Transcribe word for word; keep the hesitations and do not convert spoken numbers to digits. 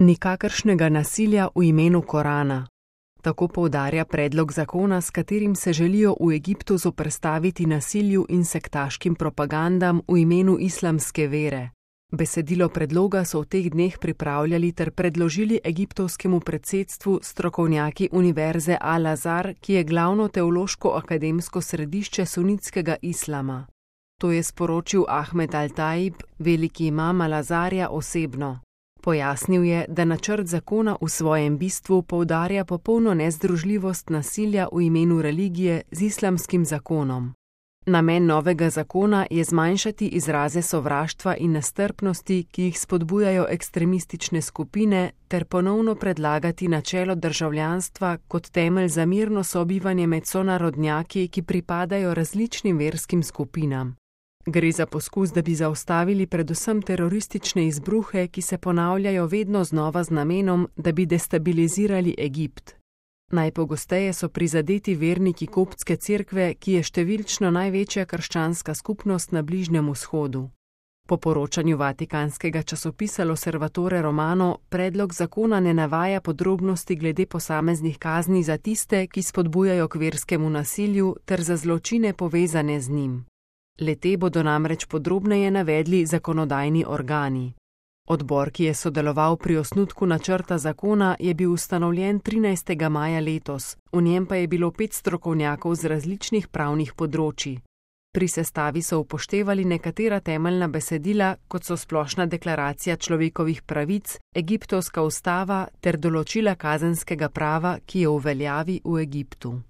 Nikakršnega nasilja v imenu Korana. Tako poudarja predlog zakona, s katerim se želijo v Egiptu zoperstaviti nasilju in sektaškim propagandam v imenu islamske vere. Besedilo predloga so v teh dneh pripravljali ter predložili egiptovskemu predsedstvu strokovnjaki Univerze Al-Azhar, ki je glavno teološko-akademsko središče sunitskega islama. To je sporočil Ahmed Al-Taib, veliki imam Al-Azharja osebno. Pojasnil je, da načrt zakona v svojem bistvu poudarja popolno nezdružljivost nasilja v imenu religije z islamskim zakonom. Namen novega zakona je zmanjšati izraze sovraštva in nestrpnosti, ki jih spodbujajo ekstremistične skupine, ter ponovno predlagati načelo državljanstva kot temelj za mirno sobivanje med sonarodnjaki, ki pripadajo različnim verskim skupinam. Gre za poskus, da bi zaustavili predvsem teroristične izbruhe, ki se ponavljajo vedno znova z namenom, da bi destabilizirali Egipt. Najpogosteje so prizadeti verniki koptske cerkve, ki je številčno največja krščanska skupnost na Bližnjem vzhodu. Po poročanju vatikanskega časopisa L'Osservatore Romano predlog zakona ne navaja podrobnosti glede posameznih kazni za tiste, ki spodbujajo k verskemu nasilju, ter za zločine povezane z njim. Le-te bodo namreč podrobneje navedli zakonodajni organi. Odbor, ki je sodeloval pri osnutku načrta zakona, je bil ustanovljen trinajstega maja letos, v njem pa je bilo pet strokovnjakov z različnih pravnih področij. Pri sestavi so upoštevali nekatera temeljna besedila, kot so Splošna deklaracija človekovih pravic, Egiptovska ustava ter določila kazenskega prava, ki je v veljavi v Egiptu.